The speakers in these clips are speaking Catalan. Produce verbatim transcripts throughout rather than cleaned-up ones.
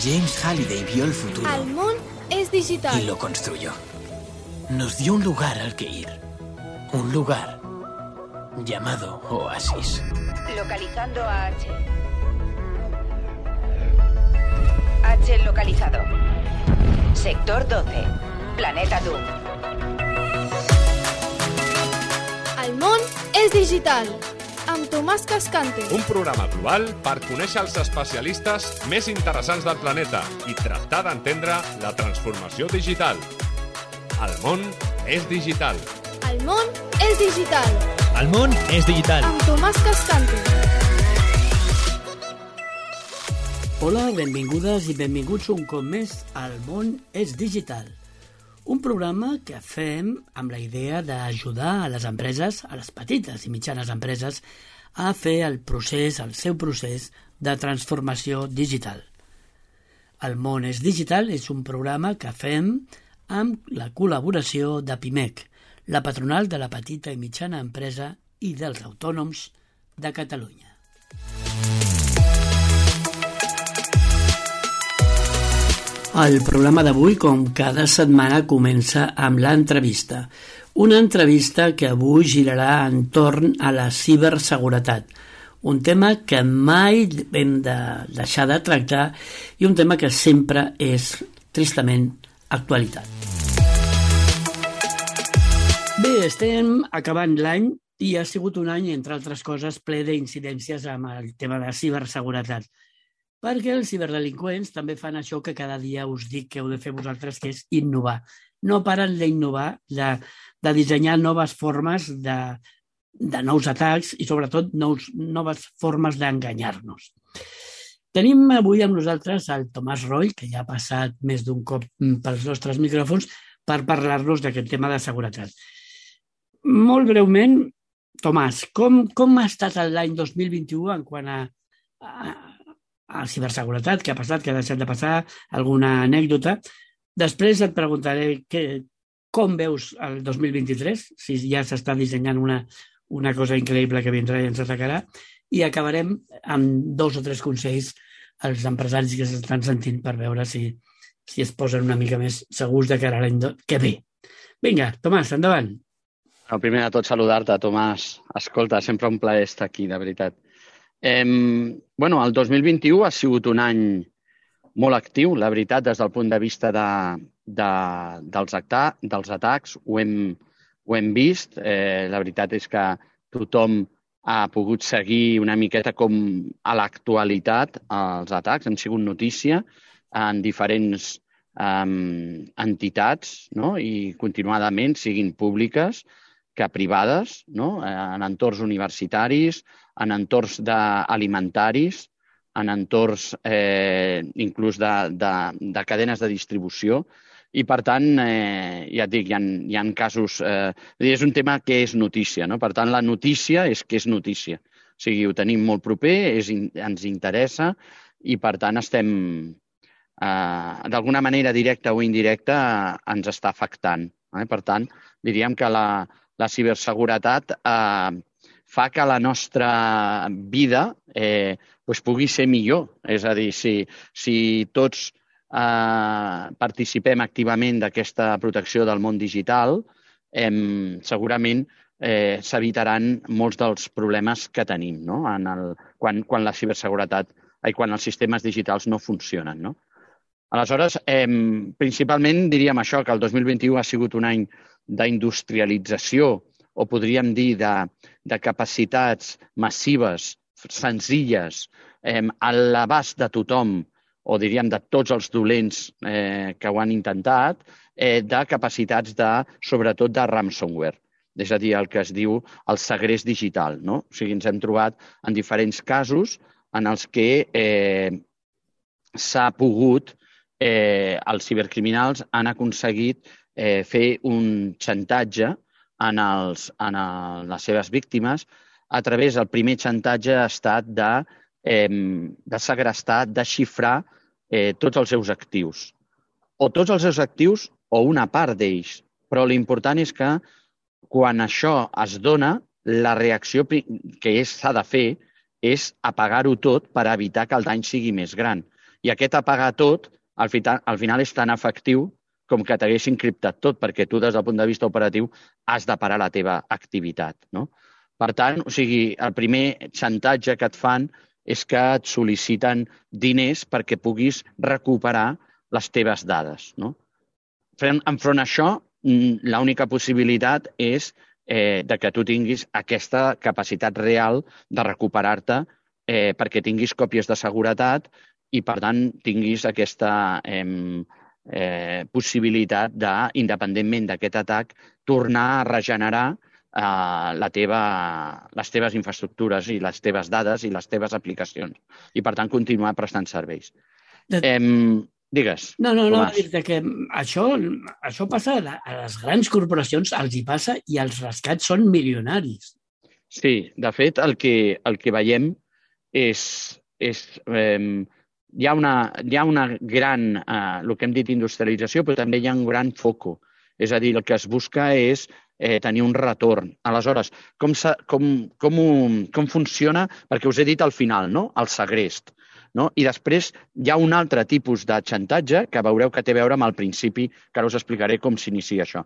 James Halliday vio el futuro. El món es digital. Y lo construyó. Nos dio un lugar al que ir. Un lugar llamado Oasis. Localizando a H. H localizado. Sector doce. Planeta Doom. El món és digital. Amb Tomàs Cascante. Un programa global per conèixer els especialistes més interessants del planeta i tractar d'entendre la transformació digital. El món és digital. El món és digital. El món és digital. Amb Tomàs Cascante. Hola, benvingudes i benvinguts un cop més al món és digital. Un programa que fem amb la idea d'ajudar a les empreses, a les petites i mitjanes empreses, a fer el procés, el seu procés de transformació digital. El món és digital és un programa que fem amb la col·laboració de PIMEC, la patronal de la petita i mitjana empresa i dels autònoms de Catalunya. El programa d'avui, com cada setmana, comença amb l'entrevista. Una entrevista que avui girarà entorn a la ciberseguretat, un tema que mai hem de deixar de tractar i un tema que sempre és, tristament, actualitat. Bé, estem acabant l'any i ha sigut un any, entre altres coses, ple d'incidències amb el tema de ciberseguretat. Perquè els ciberdelinqüents també fan això que cada dia us dic que heu de fer vosaltres, que és innovar. No paren d'innovar, de, de dissenyar noves formes de, de nous atacs i, sobretot, nous, noves formes d'enganyar-nos. Tenim avui amb nosaltres el Tomàs Roy, que ja ha passat més d'un cop pels nostres micròfons, per parlar-nos d'aquest tema de seguretat. Molt breument, Tomàs, com, com ha estat l'any dos mil vint-i-u en quant a, a a ciberseguretat, què ha passat, què ha deixat de passar, alguna anècdota. Després et preguntaré que, com veus el dos mil vint-i-tres, si ja s'està dissenyant una, una cosa increïble que vindrà i ens atacarà, i acabarem amb dos o tres consells als empresaris que s'estan sentint per veure si, si es posen una mica més segurs de cara a l'any que ve. Vinga, Tomàs, endavant. El primer de tot, saludar-te, Tomàs. Escolta, sempre un plaer estar aquí, de veritat. Eh, bueno, el dos mil vint-i-u ha sigut un any molt actiu, la veritat, des del punt de vista de, de, dels, acta, dels atacs. Ho hem, ho hem vist. Eh, la veritat és que tothom ha pogut seguir una miqueta com a l'actualitat els atacs. Han sigut notícia en diferents eh, entitats, no? I continuadament, siguin públiques que privades, no? En entorns universitaris, en entorns alimentaris, en entorns eh, inclús de, de, de cadenes de distribució. I, per tant, eh, ja et dic, hi ha, hi ha casos... Eh, és un tema que és notícia, no? Per tant, la notícia és que és notícia. O sigui, ho tenim molt proper, és, ens interessa i, per tant, estem... Eh, d'alguna manera, directa o indirecta, eh, ens està afectant. Eh? Per tant, diríem que la, la ciberseguretat eh, fa que la nostra vida eh, pues pugui ser millor. És a dir, si, si tots eh, participem activament d'aquesta protecció del món digital, eh, segurament eh, s'evitaran molts dels problemes que tenim, no? En el, quan, quan la ciberseguretat, ai, quan els sistemes digitals no funcionen, no? Aleshores, eh, principalment diríem això, que el dos mil vint-i-u ha sigut un any d'industrialització, o podríem dir de, de capacitats massives, senzilles, eh, a l'abast de tothom, o diríem de tots els dolents eh, que ho han intentat, eh, de capacitats de, sobretot de ransomware, és a dir, el que es diu el segrest digital, no? O sigui, ens hem trobat en diferents casos en els que eh, s'ha pogut, eh, els cibercriminals han aconseguit eh, fer un xantatge en, els, en el, les seves víctimes. A través del primer xantatge ha estat de, eh, de segrestar, de xifrar eh, tots els seus actius. O tots els seus actius o una part d'ells. Però l'important és que quan això es dona, la reacció que s'ha de fer és apagar-ho tot per evitar que el dany sigui més gran. I aquest apagar tot, al final, al final és tan efectiu com que t'hagués encriptat tot, perquè tu, des del punt de vista operatiu, has de parar la teva activitat, no? Per tant, o sigui, el primer xantatge que et fan és que et sol·liciten diners perquè puguis recuperar les teves dades, no? Enfront a això, l'única possibilitat és eh, de que tu tinguis aquesta capacitat real de recuperar-te eh, perquè tinguis còpies de seguretat i, per tant, tinguis aquesta eh, eh, possibilitat de, independentment d'aquest atac, tornar a regenerar eh, la teva, les teves infraestructures i les teves dades i les teves aplicacions. I, per tant, continuar prestant serveis. De... Eh, digues, No, no, no, Tomàs. dir-te que això, això passa a les grans corporacions, els hi passa i els rescats són milionaris. Sí, de fet, el que, el que veiem és... és eh, hi, ha una, hi ha una gran, eh, el que hem dit industrialització, però també hi ha un gran foco. És a dir, el que es busca és eh, tenir un retorn. Aleshores, com, com, com, com funciona? Perquè us he dit al final, no? El segrest. No? I després hi ha un altre tipus de xantatge que veureu que té a veure amb el principi, que ara us explicaré com s'inicia això.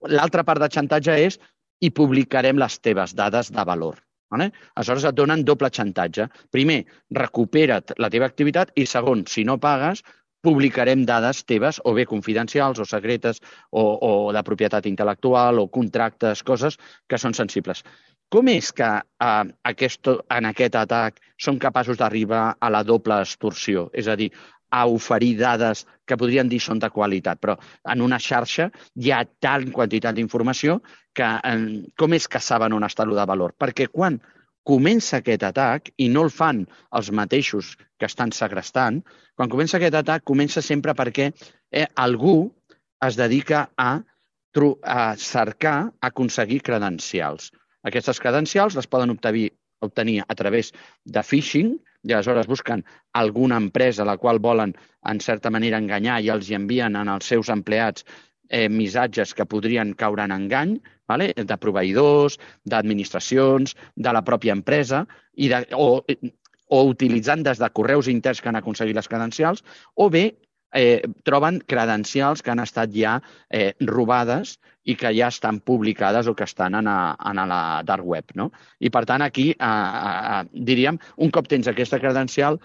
L'altra part de xantatge és i publicarem les teves dades de valor. Vale? Aleshores et donen doble xantatge. Primer, recupera't la teva activitat i segon, si no pagues, publicarem dades teves o bé confidencials o secretes o, o de propietat intel·lectual o contractes, coses que són sensibles. Com és que eh, aquest, en aquest atac són capaços d'arribar a la doble extorsió? És a dir, a oferir dades que podrien dir són de qualitat, però en una xarxa hi ha tant quantitat d'informació que eh, com és que saben on està el de valor? Perquè quan comença aquest atac, i no el fan els mateixos que estan segrestant, quan comença aquest atac comença sempre perquè eh, algú es dedica a, a cercar, a aconseguir credencials. Aquestes credencials les poden obtenir, obtenir a través de phishing, i aleshores busquen alguna empresa a la qual volen, en certa manera, enganyar i els envien als seus empleats eh, missatges que podrien caure en engany, vale? De proveïdors, d'administracions, de la pròpia empresa, i de, o, o utilitzant des de correus interns que han aconseguit les credencials, o bé eh, troben credencials que han estat ja eh, robades i que ja estan publicades o que estan en a, en a la dark web, no? I, per tant, aquí, eh, eh, diríem, un cop tens aquesta credencial,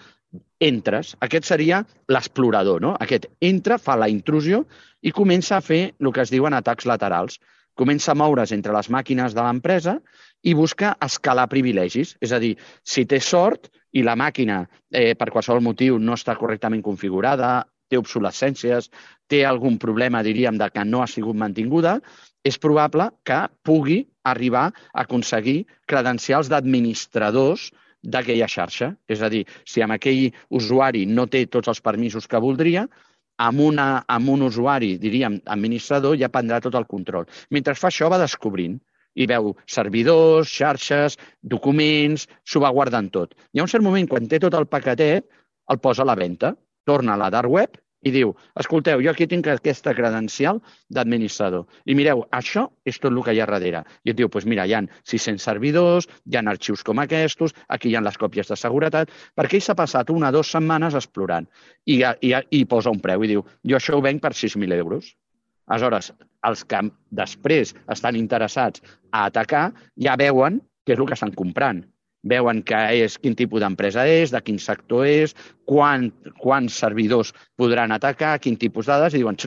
entres. Aquest seria l'explorador, no? Aquest entra, fa la intrusió i comença a fer el que es diuen atacs laterals. Comença a moure's entre les màquines de l'empresa i busca escalar privilegis. És a dir, si té sort i la màquina, eh, per qualsevol motiu, no està correctament configurada, té obsolescències, té algun problema, diríem, de que no ha sigut mantinguda, és probable que pugui arribar a aconseguir credencials d'administradors d'aquella xarxa. És a dir, si amb aquell usuari no té tots els permisos que voldria, amb, una, amb un usuari, diríem, administrador, ja prendrà tot el control. Mentre fa això, va descobrint i veu servidors, xarxes, documents, s'ho va guardant tot. Hi ha un cert moment, quan té tot el paquetet, el posa a la venda, torna a la dark web i diu, escolteu, jo aquí tinc aquesta credencial d'administrador. I mireu, això és tot el que hi ha darrere. I et diu, doncs mira, hi ha sis-cents servidors, hi ha arxius com aquests, aquí hi ha les còpies de seguretat, perquè ell s'ha passat una o dues setmanes explorant i, i, i posa un preu i diu, jo això ho venc per sis mil euros. Aleshores, els que després estan interessats a atacar ja veuen què és el que estan comprant. Veuen que és, quin tipus d'empresa és, de quin sector és, quan, quants servidors podran atacar, quin tipus de dades, i diuen,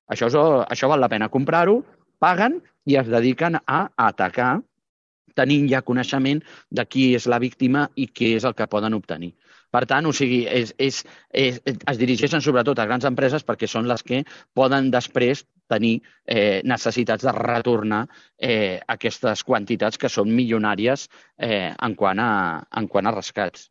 això, és, això val la pena comprar-ho, paguen i es dediquen a atacar, tenint ja coneixement de qui és la víctima i què és el que poden obtenir. Per tant, o sigui, és, és, és, es dirigeixen sobretot a grans empreses perquè són les que poden després tenir eh, necessitats de retornar eh, aquestes quantitats que són milionàries eh, en, quant a, en quant a rescats.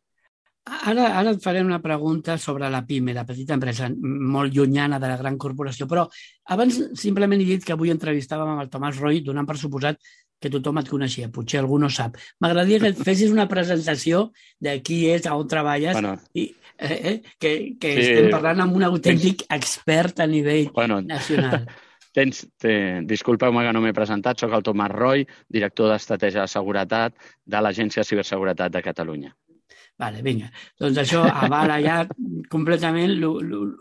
Ara, ara et faré una pregunta sobre la PIME, la petita empresa, molt llunyana de la gran corporació, però abans simplement he dit que avui entrevistàvem amb el Tomàs Roy, donant per suposat que tothom et coneixia, potser algú no sap. M'agradaria que et fessis una presentació de qui és, on treballes, bueno, i eh, eh, que, que sí, estem parlant amb un autèntic tens, expert a nivell bueno, nacional. Tens, te, disculpeu-me que no m'he presentat, soc el Tomàs Roy, director d'Estratègia de Seguretat de l'Agència de Ciberseguretat de Catalunya. Vale, vinga. Doncs això avala ja completament el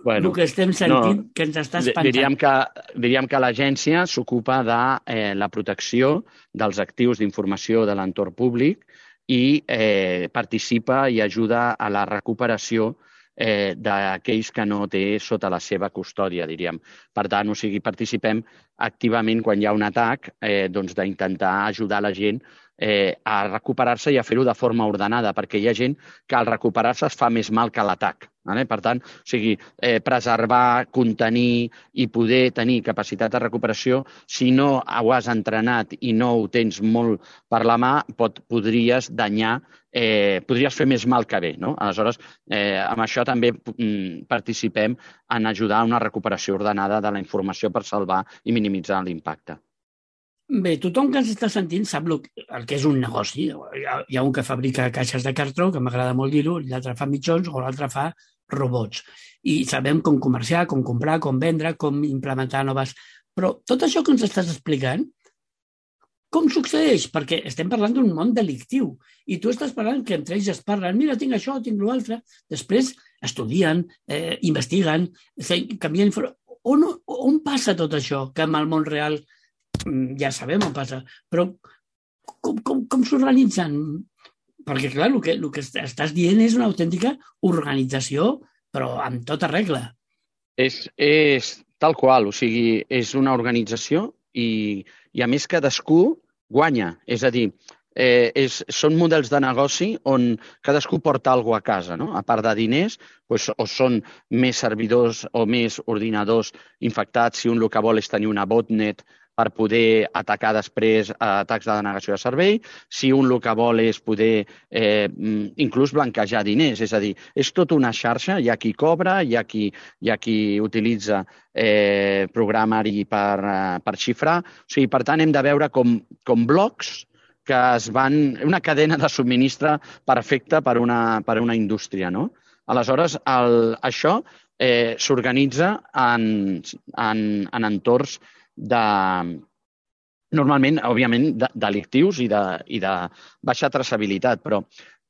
Bueno, que estem sentint, no, que ens està Di- espantant. Diríem que, diríem que l'agència s'ocupa de eh, la protecció dels actius d'informació de l'entorn públic i eh, participa i ajuda a la recuperació eh, d'aquells que no té sota la seva custòdia, diríem. Per tant, o sigui, participem activament quan hi ha un atac eh, doncs d'intentar ajudar la gent eh, a recuperar-se i a fer-ho de forma ordenada, perquè hi ha gent que al recuperar-se es fa més mal que l'atac. Vale? Per tant, o sigui, eh, preservar, contenir i poder tenir capacitat de recuperació, si no ho has entrenat i no ho tens molt per la mà, pot, podries danyar, eh, podries fer més mal que bé. No? Aleshores, eh, amb això també mm, participem en ajudar a una recuperació ordenada de la informació per salvar i minimitzar l'impacte. Bé, tothom que ens està sentint sap el, el que és un negoci. Hi ha, hi ha un que fabrica caixes de cartró, que m'agrada molt dir-ho, l'altre fa mitjons o l'altre fa robots. I sabem com comerciar, com comprar, com vendre, com implementar noves... Però tot això que ens estàs explicant, com succeeix? Perquè estem parlant d'un món delictiu i tu estàs parlant que entre ells es parlen, mira, tinc això, tinc l'altre. Després estudien, eh, investiguen, canvien informació. On, on passa tot això que amb el món real ja sabem on passa, però com, com, com s'organitzen? Perquè, clar, el que, el que estàs dient és una autèntica organització, però amb tota regla. És, és tal qual, o sigui, és una organització i, i a més cadascú guanya. És a dir, eh, és, són models de negoci on cadascú porta alguna cosa a casa, no? A part de diners, doncs, o són més servidors o més ordinadors infectats, si un el que vol és tenir una botnet per poder atacar després atacs de denegació de servei, si un el que vol és poder eh, inclús blanquejar diners, és a dir, és tota una xarxa, hi ha qui cobra, hi ha qui, hi ha qui utilitza eh, programari per, per xifrar, o sigui, per tant hem de veure com, com blocs que es van... una cadena de subministre perfecta per una, per una indústria, no? Aleshores, el, això eh, s'organitza en, en, en entorns de, normalment, òbviament, de, delictius i de, i de baixa traçabilitat, però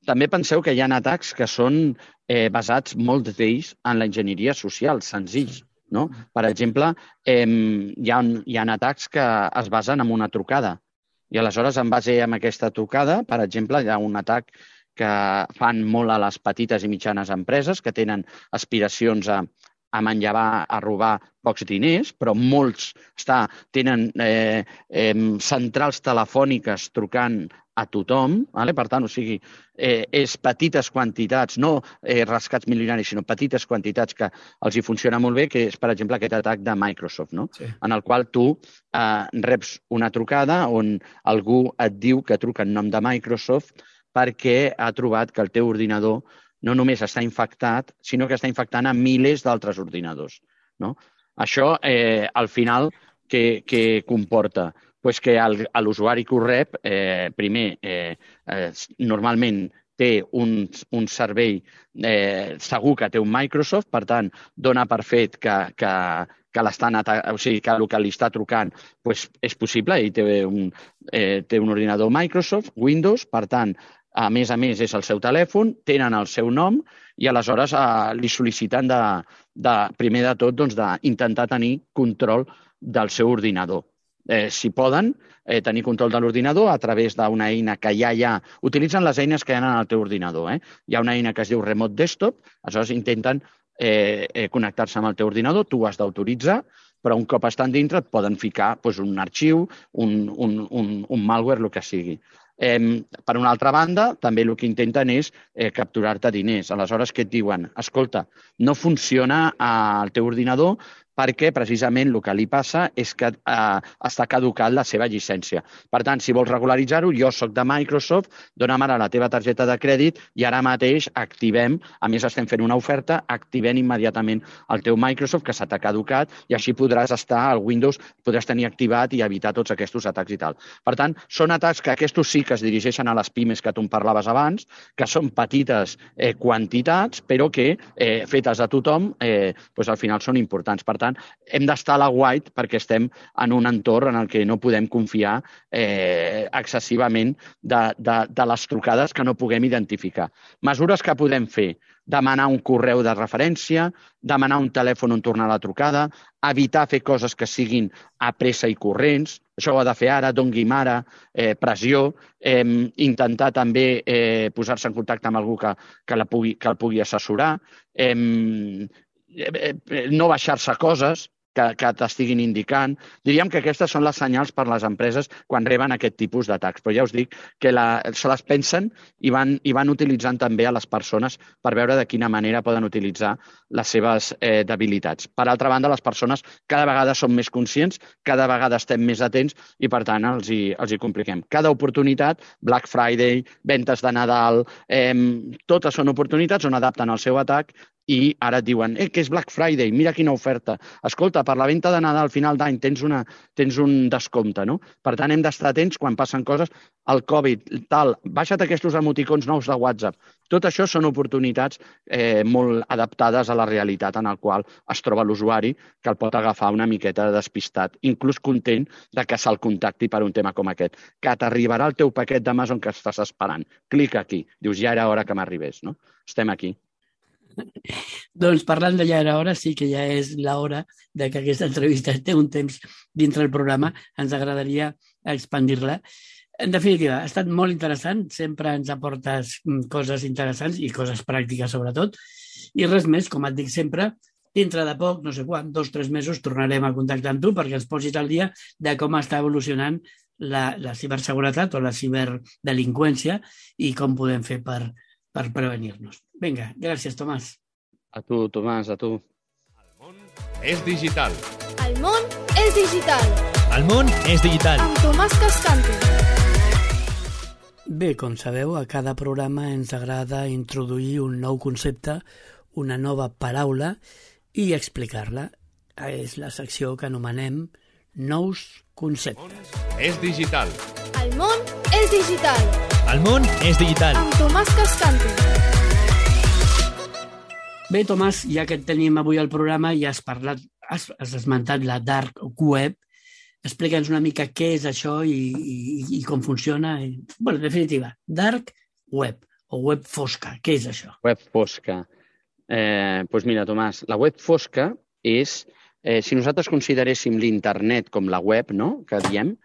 també penseu que hi ha atacs que són eh, basats, molts d'ells, en l'enginyeria social, senzills. No? Per exemple, eh, hi, ha, hi ha atacs que es basen en una trucada i aleshores, en base a aquesta trucada, per exemple, hi ha un atac que fan molt a les petites i mitjanes empreses que tenen aspiracions a a manllevar, a robar pocs diners, però molts està, tenen eh, eh, centrals telefòniques trucant a tothom, vale? Per tant, o sigui, eh, és petites quantitats, no eh, rescats milionaris, sinó petites quantitats que els hi funciona molt bé, que és, per exemple, aquest atac de Microsoft, no? Sí. En el qual tu eh, reps una trucada on algú et diu que truca en nom de Microsoft perquè ha trobat que el teu ordinador no només està infectat, sinó que està infectant a milers d'altres ordinadors. No? Això, eh, al final, què, què comporta? Pues que l'usuari que ho rep, eh, primer, eh, eh, normalment té un, un servei eh, segur que té un Microsoft, per tant, dona per fet que, que, que, o sigui, que el que li està trucant pues, és possible, ell té un, eh, té un ordinador Microsoft, Windows, per tant, a més a més és el seu telèfon, tenen el seu nom i aleshores eh, li sol·liciten de, de, primer de tot doncs, d'intentar tenir control del seu ordinador. Eh, si poden eh, tenir control de l'ordinador a través d'una eina que ja hi ha, utilitzen les eines que hi ha en el teu ordinador. Eh? Hi ha una eina que es diu Remote Desktop, aleshores intenten eh, eh, connectar-se amb el teu ordinador, tu ho has d'autoritzar, però un cop estan dintre et poden ficar doncs, un arxiu, un, un, un, un malware, el que sigui. Eh, per una altra banda, també el que intenten és eh, capturar-te diners. Aleshores, què et diuen? Escolta, no funciona al teu ordinador perquè precisament el que li passa és que eh, està caducat la seva llicència. Per tant, si vols regularitzar-ho, jo soc de Microsoft, dona'm ara la teva targeta de crèdit i ara mateix activem, a més estem fent una oferta, activem immediatament el teu Microsoft que s'ha caducat i així podràs estar al Windows, podràs tenir activat i evitar tots aquests atacs i tal. Per tant, són atacs que aquests sí que es dirigeixen a les pimes que tu em parlaves abans, que són petites eh, quantitats, però que eh, fetes a tothom, eh, doncs al final són importants. Per tant, tant, hem d'estar a la white perquè estem en un entorn en el que no podem confiar eh, excessivament de, de, de les trucades que no puguem identificar. Mesures que podem fer: demanar un correu de referència, demanar un telèfon on tornar la trucada, evitar fer coses que siguin a pressa i corrents, això ho ha de fer ara, doni'm ara, eh, pressió, eh, intentar també eh, posar-se en contacte amb algú que, que, la pugui, que el pugui assessorar, eh, eh, no baixar-se coses que, que t'estiguin indicant. Diríem que aquestes són les senyals per les empreses quan reben aquest tipus d'atacs. Però ja us dic que la, se les pensen i van, i van utilitzant també a les persones per veure de quina manera poden utilitzar les seves eh, debilitats. Per altra banda, les persones cada vegada són més conscients, cada vegada estem més atents i, per tant, els hi, els hi compliquem. Cada oportunitat, Black Friday, ventes de Nadal, eh, totes són oportunitats on adapten el seu atac i ara et diuen, eh, que és Black Friday, mira quina oferta. Escolta, per la venda de Nadal al final d'any tens, una, tens un descompte, no? Per tant, hem d'estar atents quan passen coses. El Covid, tal, baixa't aquests emoticons nous de WhatsApp. Tot això són oportunitats eh, molt adaptades a la realitat en el qual es troba l'usuari, que el pot agafar una miqueta despistat, inclús content de que se'l contacti per un tema com aquest. Que t'arribarà el teu paquet d'Amazon que estàs esperant. Clica aquí. Dius, ja era hora que m'arribés, no? Estem aquí. Doncs parlant de ja era hora, sí que ja és l'hora de que aquesta entrevista té un temps dintre el programa. Ens agradaria expandir-la. En definitiva, ha estat molt interessant. Sempre ens aportes coses interessants i coses pràctiques, sobretot. I res més, com et dic sempre, dintre de poc, no sé quan, dos o tres mesos, tornarem a contactar amb tu perquè ens posis al dia de com està evolucionant la, la ciberseguretat o la ciberdelinqüència i com podem fer per, per prevenir-nos. Vinga, gràcies, Tomàs. A tu, Tomàs, a tu. El món és digital. El món és digital. El món és digital. Amb Tomàs Cascante. Bé, com sabeu, a cada programa ens agrada introduir un nou concepte, una nova paraula i explicar-la. És la secció que anomenem Nous Conceptes. És digital. El món és digital. El món és digital. Amb Tomàs Cascante. Bé, Tomàs, ja que et tenim avui al programa i has parlat, has, has esmentat la dark web, explica'ns una mica què és això i, i, i com funciona. Bé, en definitiva, dark web o web fosca, què és això? Web fosca. Eh, doncs mira, Tomàs, la web fosca és, eh, si nosaltres consideréssim l'internet com la web, no?, que diem,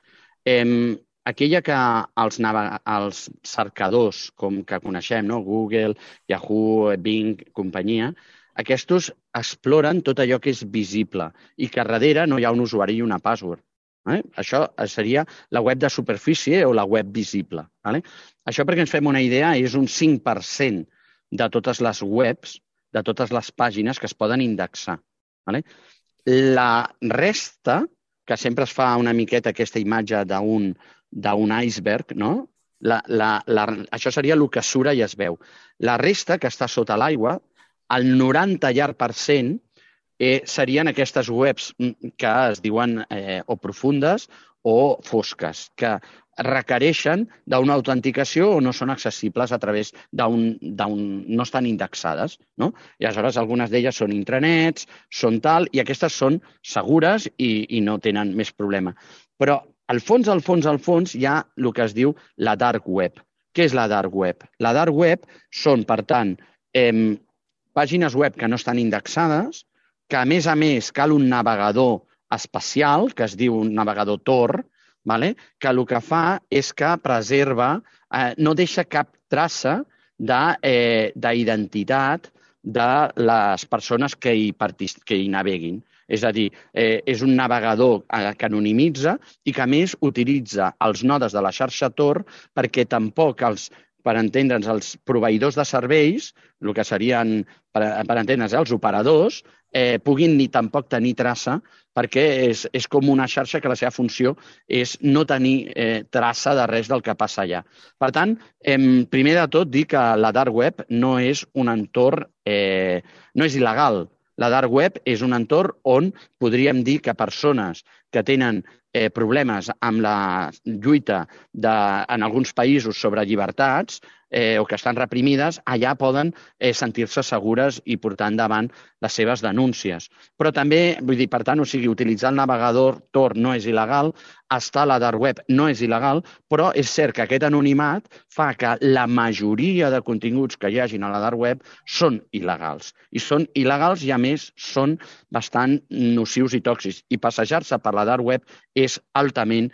eh, aquella que els, els cercadors com que coneixem, no? Google, Yahoo, Bing, companyia, aquests exploren tot allò que és visible i que darrere no hi ha un usuari i una password. Eh? Això seria la web de superfície o la web visible. Vale? Això, perquè ens fem una idea, és un cinc per cent de totes les webs, de totes les pàgines que es poden indexar. Vale? La resta, que sempre es fa una miqueta aquesta imatge d'un d'un iceberg, no? La, la, la, això seria el que sura i es veu. La resta, que està sota l'aigua, el noranta llarg per cent eh, serien aquestes webs que es diuen eh, o profundes o fosques, que requereixen d'una autenticació o no són accessibles a través d'un... no estan indexades, no? I aleshores algunes d'elles són intranets, són tal, i aquestes són segures i, i no tenen més problema. Però al fons, al fons, al fons, hi ha el que es diu la dark web. Què és la dark web? La dark web són, per tant, eh, pàgines web que no estan indexades, que a més a més cal un navegador especial, que es diu un navegador Tor, vale? Que el que fa és que preserva, eh, no deixa cap traça d'identitat de, eh, de les persones que hi, que hi naveguin. És a dir, eh, és un navegador que anonimitza i que a més utilitza els nodes de la xarxa Tor perquè tampoc els, per entendre'ns, els proveïdors de serveis, el que serien, per, per entendre'ns, els operadors, eh, puguin ni tampoc tenir traça perquè és, és com una xarxa que la seva funció és no tenir eh, traça de res del que passa allà. Per tant, eh, primer de tot, dir que la dark web no és un entorn, eh, no és il·legal. La dark web és un entorn on podríem dir que persones que tenen eh, problemes amb la lluita de, en alguns països sobre llibertats eh, o que estan reprimides, allà poden eh, sentir-se segures i portar endavant les seves denúncies. Però també, vull dir, per tant, o sigui, utilitzar el navegador Tor no és il·legal, estar a la dark web no és il·legal, però és cert que aquest anonimat fa que la majoria de continguts que hi hagin a la dark web són il·legals. I són il·legals i, a més, són bastant nocius i tòxics. I passejar-se per la dark web és altament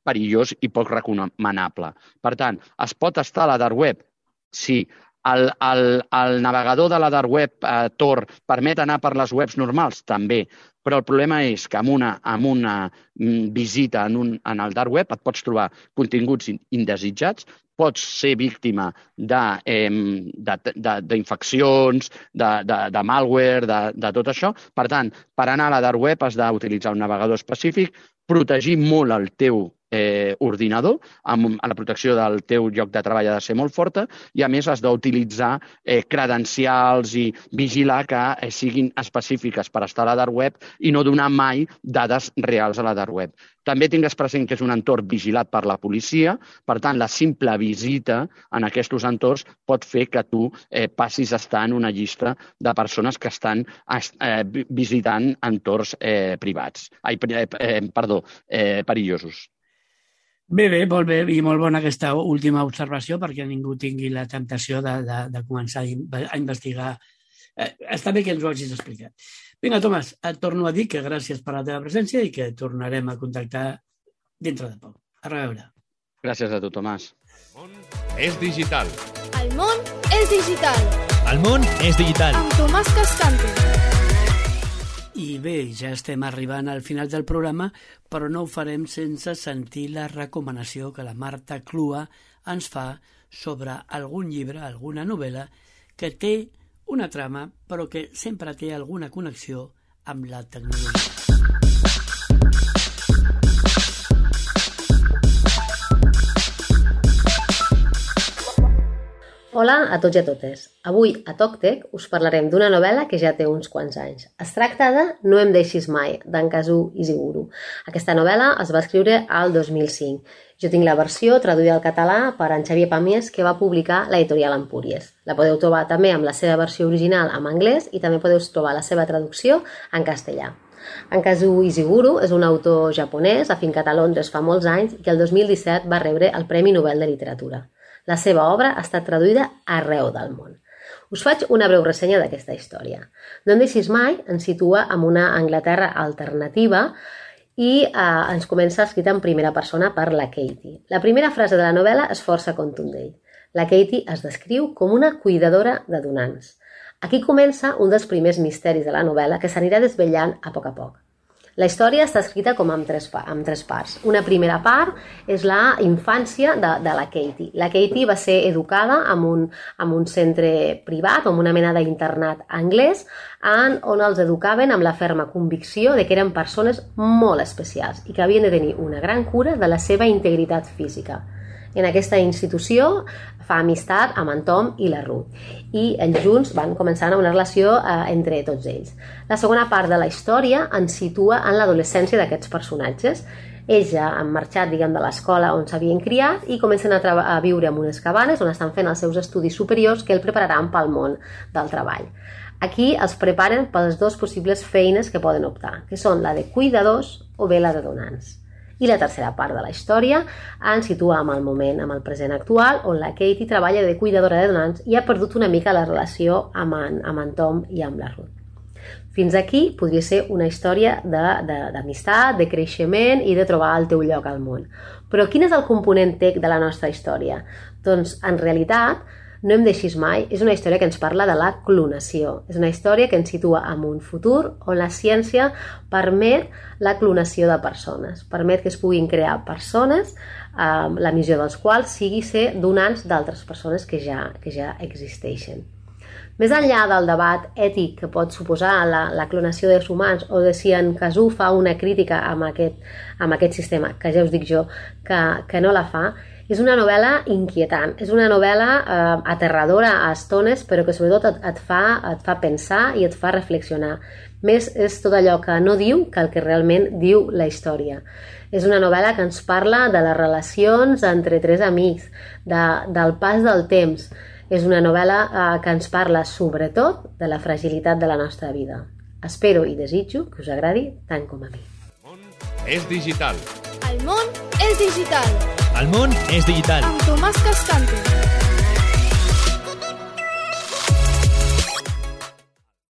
perillós i poc recomanable. Per tant, es pot estar a la dark web? Sí. El, el, el navegador de la dark web, eh, Tor, permet anar per les webs normals? També. Però el problema és que amb una, amb una visita en, un, en el dark web et pots trobar continguts indesitjats, pots ser víctima d'infeccions, de, de, de, de, de malware, de, de tot això. Per tant, per anar a la dark web has d'utilitzar un navegador específic, protegir molt el teu eh, ordinador, amb la protecció del teu lloc de treball ha de ser molt forta i, a més, has d'utilitzar eh, credencials i vigilar que eh, siguin específiques per estar a la dark web i no donar mai dades reals a la dark web. També tingues present que és un entorn vigilat per la policia, per tant, la simple visita en aquests entorns pot fer que tu eh, passis a estar en una llista de persones que estan eh, visitant entorns eh, privats. Ai, eh, perdó, eh, perillosos. Bé, bé, molt bé, i molt bona aquesta última observació perquè ningú tingui la temptació de, de, de començar a investigar. Eh, està bé que ens ho hagis explicat. Vinga, Tomàs, et torno a dir que gràcies per la teva presència i que tornarem a contactar dintre de poc. A reveure. Gràcies a tu, Tomàs. El món és digital. El món és digital. El món és digital. Amb Tomàs Cascante. I bé, ja estem arribant al final del programa, però no ho farem sense sentir la recomanació que la Marta Clua ens fa sobre algun llibre, alguna novel·la, que té una trama, però que sempre té alguna connexió amb la tecnologia. Hola a tots i a totes. Avui a TocTec us parlarem d'una novel·la que ja té uns quants anys. Es tracta de No em deixis mai, d'en Kazuo Ishiguro. Aquesta novel·la es va escriure al dos mil cinc. Jo tinc la versió traduïda al català per en Xavier Pàmies, que va publicar l'editorial Empúries. La podeu trobar també amb la seva versió original en anglès i també podeu trobar la seva traducció en castellà. En Kazuo Ishiguro és un autor japonès afincat a Londres fa molts anys i el dos mil disset va rebre el Premi Nobel de Literatura. La seva obra ha estat traduïda arreu del món. Us faig una breu ressenya d'aquesta història. No em deixis mai ens situa en una Anglaterra alternativa i eh, ens comença escrita en primera persona per la Katie. La primera frase de la novel·la és força contundent. La Katie es descriu com una cuidadora de donants. Aquí comença un dels primers misteris de la novel·la que s'anirà desvetllant a poc a poc. La història està escrita com amb tres, amb tres parts. Una primera part és la infància de, de la Katie. La Katie va ser educada en un, en un centre privat, en una mena d'internat anglès, en, on els educaven amb la ferma convicció de que eren persones molt especials i que havien de tenir una gran cura de la seva integritat física. En aquesta institució fa amistat amb en Tom i la Ruth i ells junts van començar una relació eh, entre tots ells. La segona part de la història ens situa en l'adolescència d'aquests personatges. Ells ja han marxat, diguem, de l'escola on s'havien criat i comencen a, a viure en unes cabanes on estan fent els seus estudis superiors que el prepararan pel món del treball. Aquí els preparen per les dues possibles feines que poden optar, que són la de cuidadors o bé la de donants. I la tercera part de la història ens situa en el moment, en el present actual, on la Katie treballa de cuidadora de donants i ha perdut una mica la relació amb en, amb en Tom i amb la Ruth. Fins aquí podria ser una història d'amistat, de, de, de creixement i de trobar el teu lloc al món. Però quin és el component tec de la nostra història? Doncs, en realitat, No em deixis mai és una història que ens parla de la clonació. És una història que ens situa en un futur on la ciència permet la clonació de persones, permet que es puguin crear persones, eh, la missió dels quals sigui ser donants d'altres persones que ja, que ja existeixen. Més enllà del debat ètic que pot suposar la, la clonació dels humans o de si en Kazuo fa una crítica amb aquest, amb aquest sistema, que ja us dic jo que, que no la fa, És una novel·la inquietant, és una novel·la eh, aterradora a estones, però que sobretot et, et, fa, et fa pensar i et fa reflexionar. Més és tot allò que no diu que el que realment diu la història. És una novel·la que ens parla de les relacions entre tres amics, de, del pas del temps. És una novel·la eh, que ens parla sobretot de la fragilitat de la nostra vida. Espero i desitjo que us agradi tant com a mi. És digital. El món és digital. El món és digital. Amb Tomàs Cascante.